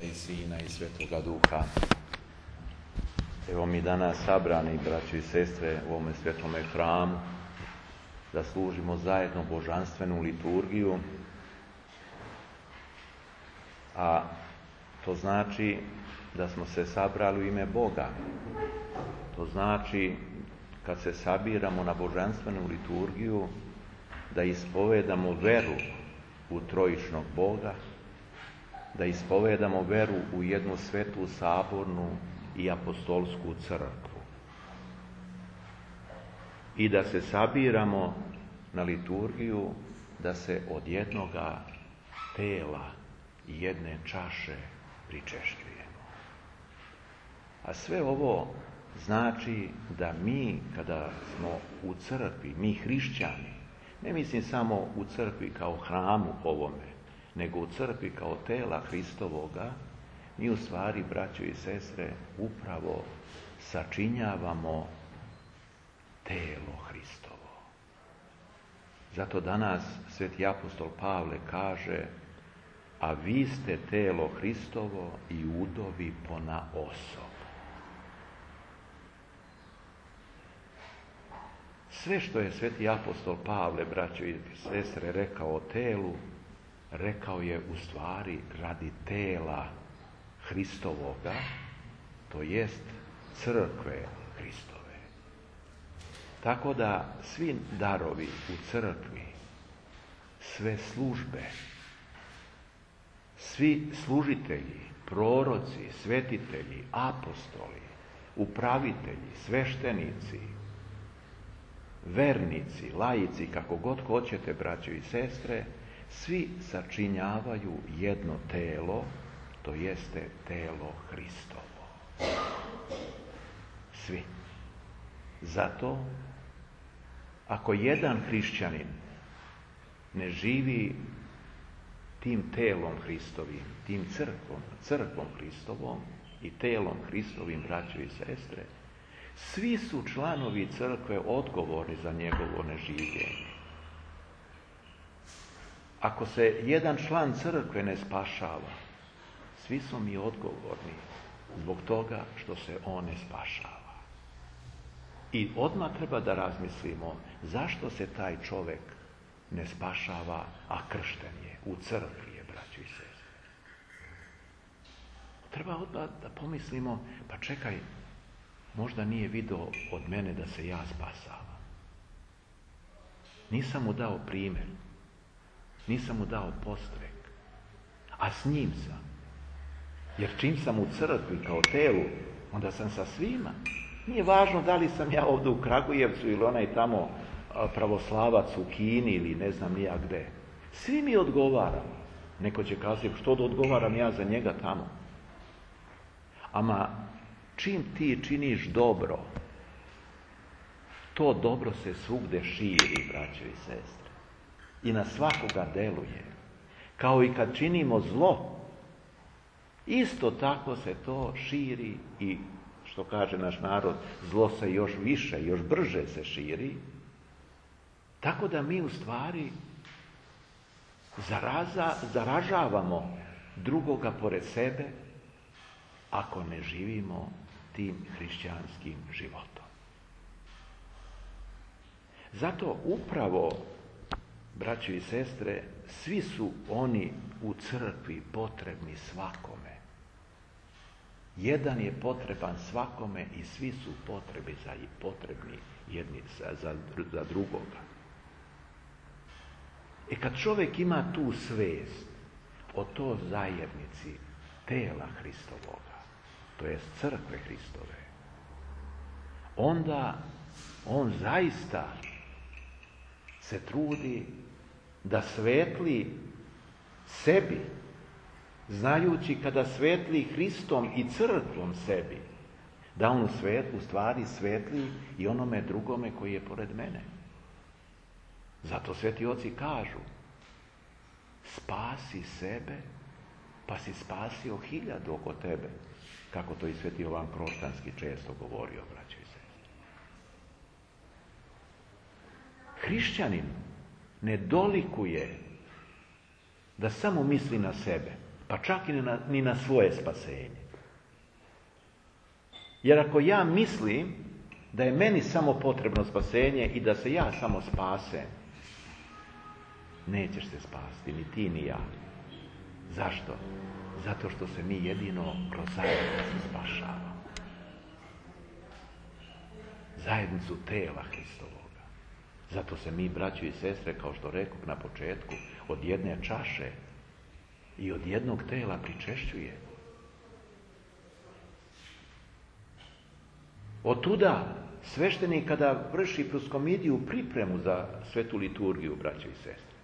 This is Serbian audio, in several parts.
I Sina i Svetoga Duha. Evo mi danas sabrani, braći i sestre, u ovome svetome hramu, da služimo zajedno božanstvenu liturgiju, a to znači da smo se sabrali u ime Boga. To znači, kad se sabiramo na božanstvenu liturgiju, da ispovedamo veru u trojičnog Boga, da ispovedamo veru u jednu svetu, sabornu i apostolsku crkvu. I da se sabiramo na liturgiju, da se od jednoga tela i jedne čaše pričešćujemo. A sve ovo znači da mi, kada smo u crkvi, mi hrišćani, ne mislim samo u crkvi kao hramu ovome, nego u crkvi kao tela Hristovoga, mi u stvari, braćo i sestre, upravo sačinjavamo telo Hristovo. Zato danas sveti apostol Pavle kaže: a vi ste telo Hristovo i udovi ponaosob. Sve što je sveti apostol Pavle, braćo i sestre, rekao o telu, rekao je u stvari radi tela Hristovoga, to jest crkve Hristove. Tako da svi darovi u crkvi, sve službe, svi služitelji, proroci, svetitelji, apostoli, upravitelji, sveštenici, vernici, laici, kako god hoćete, braćo i sestre, svi sačinjavaju jedno telo, to jeste telo Hristovo. Svi. Zato, ako jedan hrišćanin ne živi tim telom Hristovim, tim crkvom Hristovom i telom Hristovim, braćo i sestre, svi su članovi crkve odgovorni za njegovo neživljenje. Ako se jedan član crkve ne spašava, svi smo mi odgovorni zbog toga što se on ne spašava. I odmah treba da razmislimo zašto se taj čovjek ne spašava, a kršten je, u crkvi je, braćo i sestre. Treba odmah da pomislimo, pa čekaj, možda nije video od mene da se ja spasavam. Nisam mu dao primjer. Nisam mu dao postrek, a s njim sam. Jer čim sam u crkvi kao telu, onda sam sa svima. Nije važno da li sam ja ovdje u Kragujevcu ili onaj tamo pravoslavac u Kini ili ne znam ni ja gde. Svi mi odgovaramo. Neko će kazati, što da odgovaram ja za njega tamo? Ama čim ti činiš dobro, to dobro se svugde širi, braćo i sestre. I na svakoga deluje. Kao i kad činimo zlo, isto tako se to širi i, što kaže naš narod, zlo se još više, još brže se širi. Tako da mi u stvari zaražavamo drugoga pored sebe ako ne živimo tim hrišćanskim životom. Zato upravo, braćo i sestre, svi su oni u crkvi potrebni svakome. Jedan je potreban svakome i svi su potrebni jedni za drugoga. Kad čovjek ima tu svest o toj zajednici tela Hristovoga, to jest crkve Hristove, onda on zaista se trudi da svetli sebi, znajući kada svetli Hristom i crkvom sebi, da on u stvari svetli i onome drugome koji je pored mene. Zato sveti oci kažu: spasi sebe, pa si spasio 1000 oko tebe, kako to i sveti Jovan Kroštanski često govorio, braćo i sestre. Hrišćanin ne dolikuje da samo misli na sebe, Pa čak i ni na svoje spasenje. Jer ako ja mislim da je meni samo potrebno spasenje i da se ja samo spasem, nećeš se spasti, ni ti ni ja. Zašto? Zato što se mi jedino kroz zajednicu spašavamo. Zajednicu tela Hristovoga. Zato se mi, braćo i sestre, kao što rekao na početku, od jedne čaše i od jednog tela pričešćuje. Otuda sveštenik kada vrši proskomidiju, pripremu za svetu liturgiju, braćo i sestre,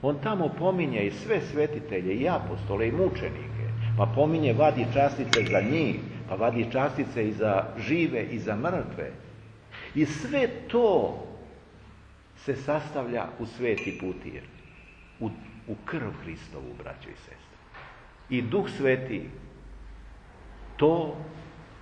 on tamo pominje i sve svetitelje, i apostole, i mučenike, pa pominje, vadi častice za njih, pa vadi častice i za žive i za mrtve. I sve to se sastavlja u sveti putir, u krv Hristovu, braćo i sestre. I Duh Sveti to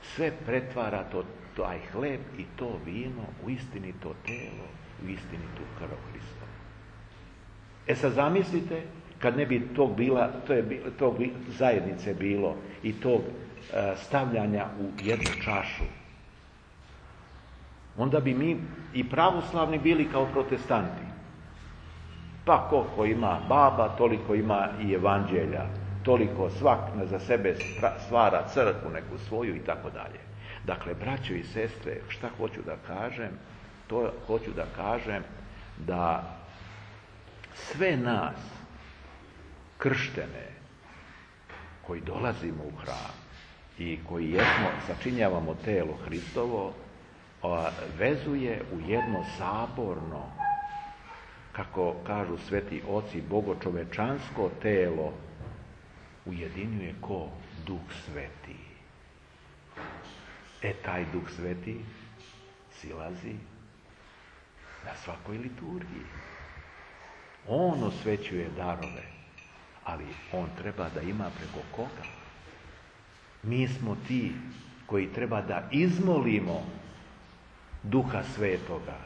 sve pretvara, taj hleb i to vino, u istinito telo, u istinitu krv Hristova. Sad zamislite, kad ne bi tog zajednice bilo i tog stavljanja u jednu čašu, onda bi mi i pravoslavni bili kao protestanti. Pa koliko ima baba, toliko ima i evanđelja, toliko svak za sebe stvara crkvu neku svoju i tako dalje. Dakle, braćo i sestre, šta hoću da kažem? To hoću da kažem da sve nas krštene koji dolazimo u hram i koji sačinjavamo telo Hristovo, vezuje u jedno saborno, kako kažu sveti oci, bogočovečansko telo, ujedinjuje ko? Duh Sveti. Taj Duh Sveti silazi na svakoj liturgiji. On osvećuje darove, ali on treba da ima preko koga? Mi smo ti koji treba da izmolimo Duha Svetoga,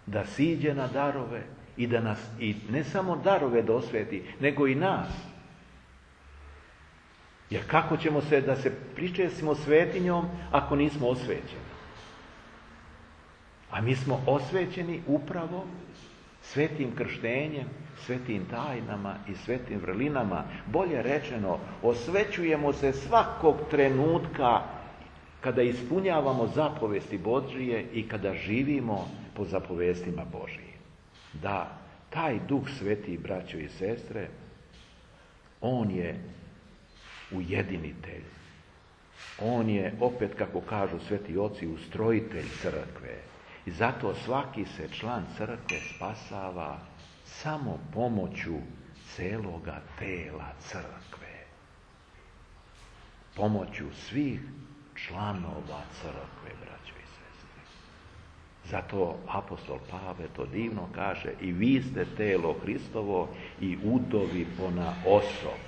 da siđe na darove i da nas, i ne samo darove da osveti, nego i nas. Jer kako ćemo se da se pričestimo svetinjom ako nismo osvećeni? A mi smo osvećeni upravo svetim krštenjem, svetim tajnama i svetim vrlinama. Bolje rečeno, osvećujemo se svakog trenutka kada ispunjavamo zapovesti Božije i kada živimo po zapovestima Božijim. Da, taj Duh Sveti, braćo i sestre, on je ujedinitelj. On je, opet kako kažu sveti oci, ustrojitelj crkve. I zato svaki se član crkve spasava samo pomoću celoga tela crkve. Pomoću svih članova crkve, braćo i sestre. Zato apostol Pavle to divno kaže: i vi ste telo Hristovo i udovi ponaosob.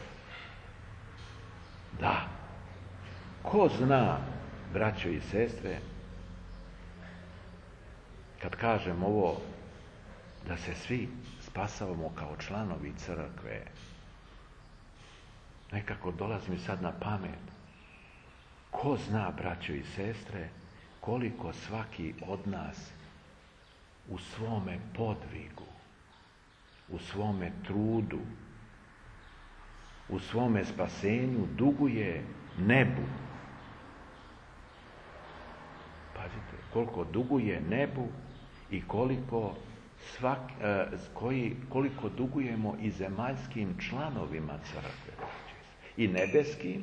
Da, ko zna, braćo i sestre, kad kažem ovo, da se svi spasavamo kao članovi crkve, nekako dolazi mi sad na pamet. Ko zna, braćo i sestre, koliko svaki od nas u svome podvigu, u svome trudu, u svome spasenju duguje nebu. Pazite, koliko duguje nebu i koliko dugujemo i zemaljskim članovima crkve. I nebeskim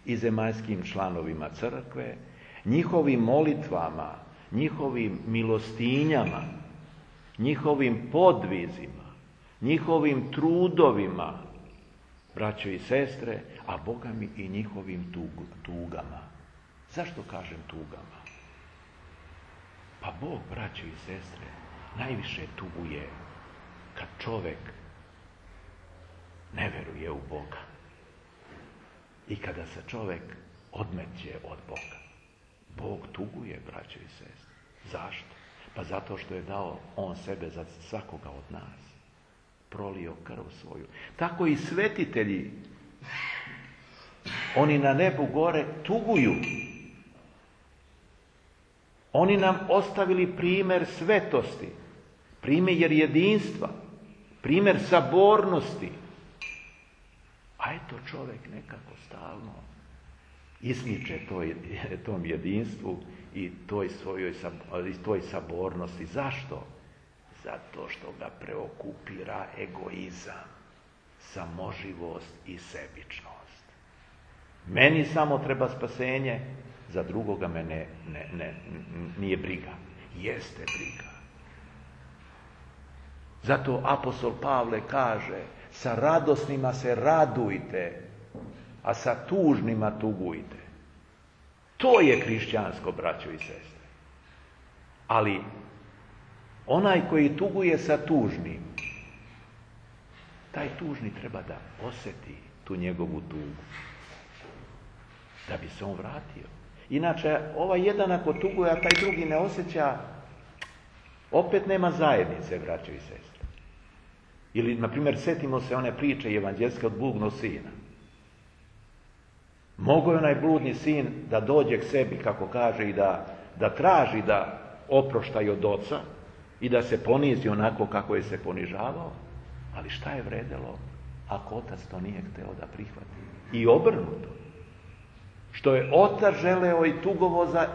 i zemaljskim članovima crkve, njihovim molitvama, njihovim milostinjama, njihovim podvizima, njihovim trudovima, braćo i sestre, a Boga mi i njihovim tugama. Zašto kažem tugama? Pa Bog, braćo i sestre, najviše tuguje kad čovjek ne veruje u Boga i kada se čovjek odmeće od Boga. Bog tuguje, braćo i sestre. Zašto? Pa zato što je dao on sebe za svakoga od nas. Prolio krv svoju. Tako i svetitelji Oni na nebu gore tuguju. Oni nam ostavili primjer svetosti, primjer jedinstva, primjer sabornosti. A eto čovjek nekako stalno ismiče tom jedinstvu i toj sabornosti. Zašto? Zato što ga preokupira egoizam, samoživost i sebičnost. Meni samo treba spasenje, za drugoga me nije briga. Jeste briga. Zato apostol Pavle kaže, sa radosnima se radujte, a sa tužnima tugujte. To je hrišćansko, braćo i sestre. Ali onaj koji tuguje sa tužnim, taj tužni treba da osjeti tu njegovu tugu, da bi se on vratio. Inače, ovaj jedan ako tuguje, a taj drugi ne osjeća, opet nema zajednice, braćo i sestre. Ili, na primjer, setimo se one priče evanđelske od bludnog sina. Mogao je onaj bludni sin da dođe k sebi, kako kaže, i da traži da oproštaj od oca i da se ponizi onako kako je se ponižavao, ali šta je vredelo ako otac to nije hteo da prihvati? I obrnuto. Što je otac želeo i tugovo za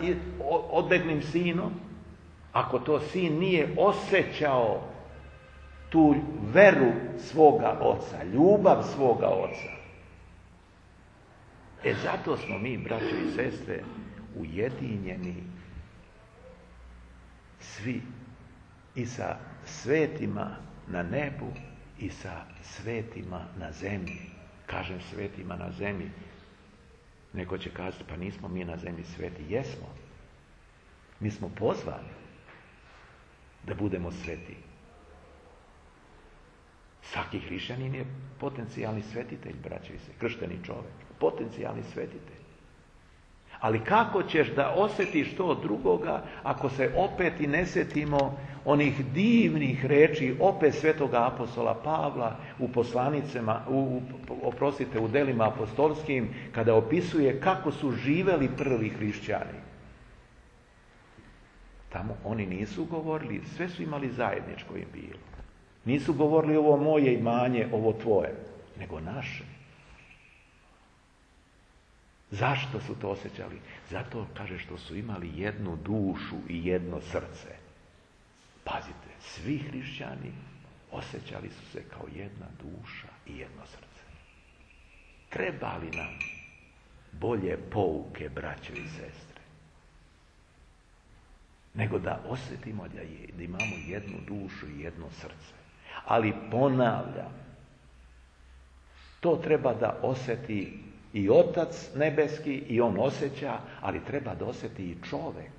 odbeglim sinom, ako to sin nije osjećao tu veru svoga oca, ljubav svoga oca. Zato smo mi, braćo i sestre, ujedinjeni svi i sa svetima na nebu i sa svetima na zemlji. Kažem svetima na zemlji. Neko će kazati, pa nismo mi na zemlji sveti. Jesmo. Mi smo pozvani da budemo sveti. Svaki hrišćanin je potencijalni svetitelj, braćo i sestre, kršteni čovjek, potencijalni svetitelj. Ali kako ćeš da osjetiš to drugoga ako se opet i ne sjetimo onih divnih reči opet svetoga apostola Pavla u poslanicama, u delima apostolskim, kada opisuje kako su živeli prvi hrišćani. Tamo oni nisu govorili, sve su imali zajedničko im bilo. Nisu govorili ovo moje imanje, ovo tvoje, nego naše. Zašto su to osjećali? Zato, kaže, što su imali jednu dušu i jedno srce. Pazite, svi hrišćani osjećali su se kao jedna duša i jedno srce. Treba li nam bolje pouke, braćo i sestre, nego da osjetimo da imamo jednu dušu i jedno srce? Ali ponavljam, to treba da osjeti i Otac nebeski i on osjeća, ali treba da osjeti i čovjek.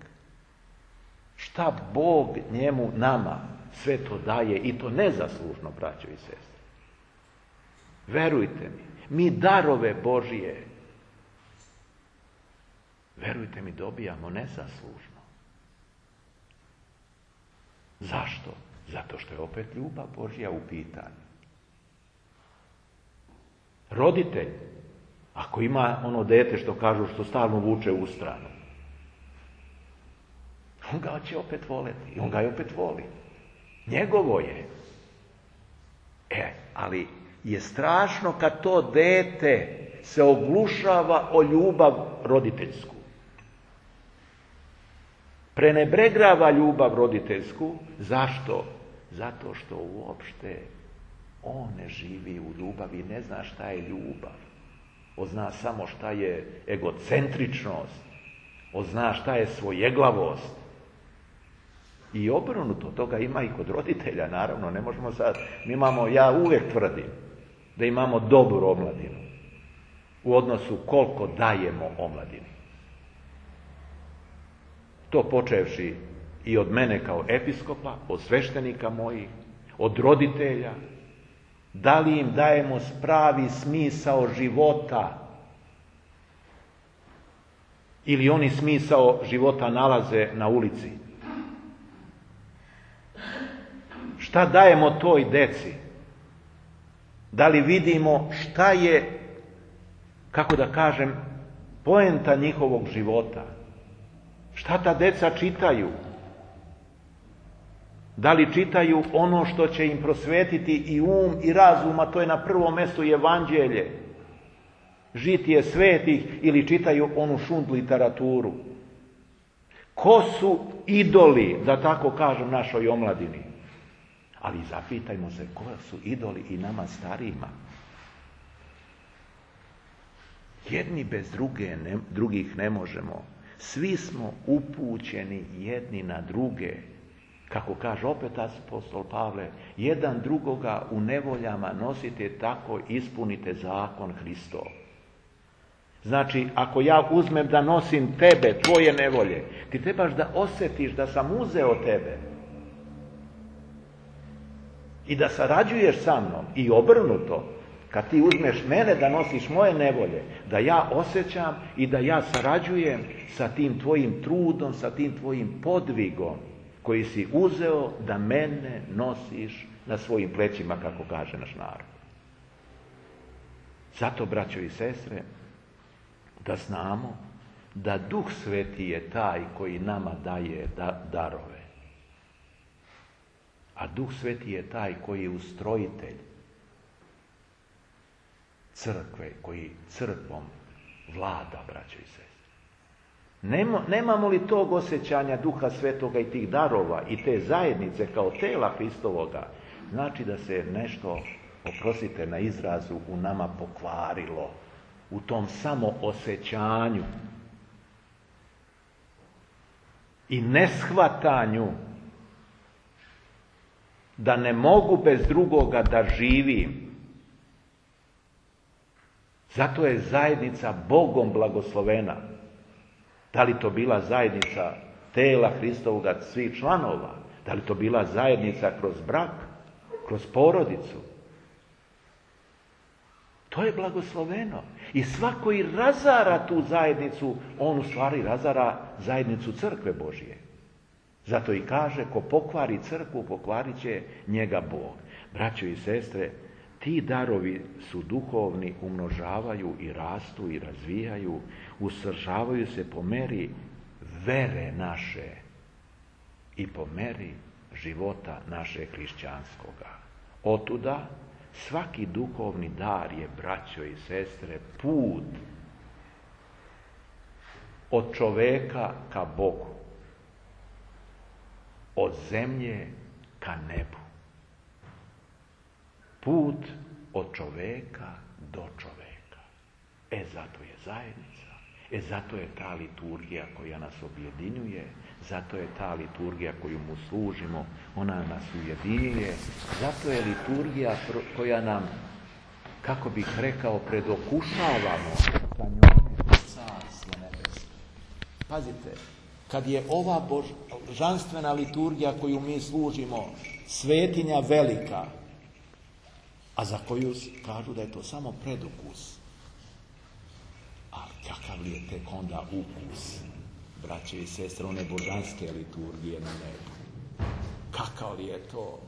Šta Bog njemu, nama sve to daje i to nezaslužno, braćo i sestre. Verujte mi darove Božije, verujte mi, dobijamo nezaslužno. Zašto? Zato što je opet ljubav Božja u pitanju. Roditelj, ako ima ono dete što kažu što stalno vuče u stranu, on ga će opet voleti i on ga opet voli. Njegovo je. Ali je strašno kad to dete se oglušava o ljubav roditeljsku. Prenebregava ljubav roditeljsku. Zašto? Zato što uopšte on ne živi u ljubavi, ne zna šta je ljubav. On zna samo šta je egocentričnost. On zna šta je svojeglavost. I obrnuto, toga ima i kod roditelja, naravno, ne možemo sad, ja uvijek tvrdim da imamo dobru omladinu u odnosu koliko dajemo omladini. To počevši i od mene kao episkopa, od sveštenika mojih, od roditelja, da li im dajemo pravi smisao života ili oni smisao života nalaze na ulici. Šta dajemo toj deci? Da li vidimo šta je kako da kažem, poenta njihovog života. Šta ta deca čitaju? Da li čitaju ono što će im prosvetiti i um i razum, a to je na prvom mjestu evanđelje, žitije svetih, ili čitaju onu šund literaturu? Ko su idoli, da tako kažem, našoj omladini? Ali zapitajmo se, ko su idoli i nama starijima? Jedni bez drugih ne možemo. Svi smo upućeni jedni na druge. Kako kaže opet apostol Pavle, jedan drugoga u nevoljama nosite, tako ispunite zakon Hristov. Znači, ako ja uzmem da nosim tebe, tvoje nevolje, ti trebaš da osjetiš da sam uzeo tebe i da sarađuješ sa mnom, i obrnuto. Kad ti uzmeš mene da nosiš moje nevolje, da ja osjećam i da ja sarađujem sa tim tvojim trudom, sa tim tvojim podvigom koji si uzeo da mene nosiš na svojim plećima, kako kaže naš narod. Zato, braćo i sestre, da znamo da Duh Sveti je taj koji nama daje darove. A Duh Sveti je taj koji je ustrojitelj crkve, koji crkvom vlada, braćo i sestre. Nemamo li tog osjećanja Duha Svetoga i tih darova i te zajednice kao tela Hristovoga, znači da se nešto, oprostite na izrazu, u nama pokvarilo, u tom samoosjećanju i neshvatanju da ne mogu bez drugoga da živim. Zato je zajednica Bogom blagoslovena. Da li to bila zajednica tela Hristovoga, svih članova, da li to bila zajednica kroz brak, kroz porodicu. To je blagosloveno. I svako i razara tu zajednicu, on u stvari razara zajednicu crkve Božje. Zato i kaže, ko pokvari crkvu, pokvarit će njega Bog. Braćo i sestre, ti darovi su duhovni, umnožavaju i rastu i razvijaju, usavršavaju se po meri vere naše i po meri života naše hrišćanskoga. Otuda svaki duhovni dar je, braćo i sestre, put od čoveka ka Bogu, od zemlje ka nebu. Put od čoveka do čoveka. Zato je zajednica. Zato je ta liturgija koja nas objedinjuje. Zato je ta liturgija koju mu služimo. Ona nas ujedinjuje. Zato je liturgija koja nam, kako bih rekao, predokušavamo sa njome Carstvo nebesko. Pazite, kad je ova božanstvena liturgija koju mi služimo svetinja velika, a za koju kažu da je to samo predukus. Ali kakav li je tek onda ukus, braće i sestre, one božanske liturgije na nebu? Kakav li je to?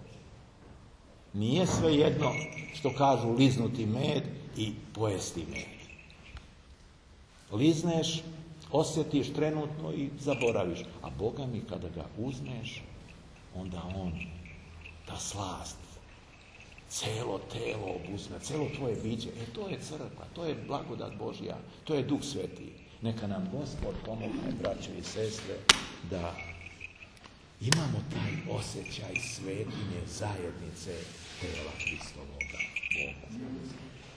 Nije svejedno što kažu liznuti med i pojesti med. Lizneš, osjetiš trenutno i zaboraviš. A Boga mi kada ga uzmeš, onda on, ta slast, celo telo obuzme, celo tvoje biće. To je crkva, to je blagodat Božja, to je Duh Sveti. Neka nam Gospod pomogne, braće i sestre, da imamo taj osjećaj svetinje zajednice tela Hristovoga Boga.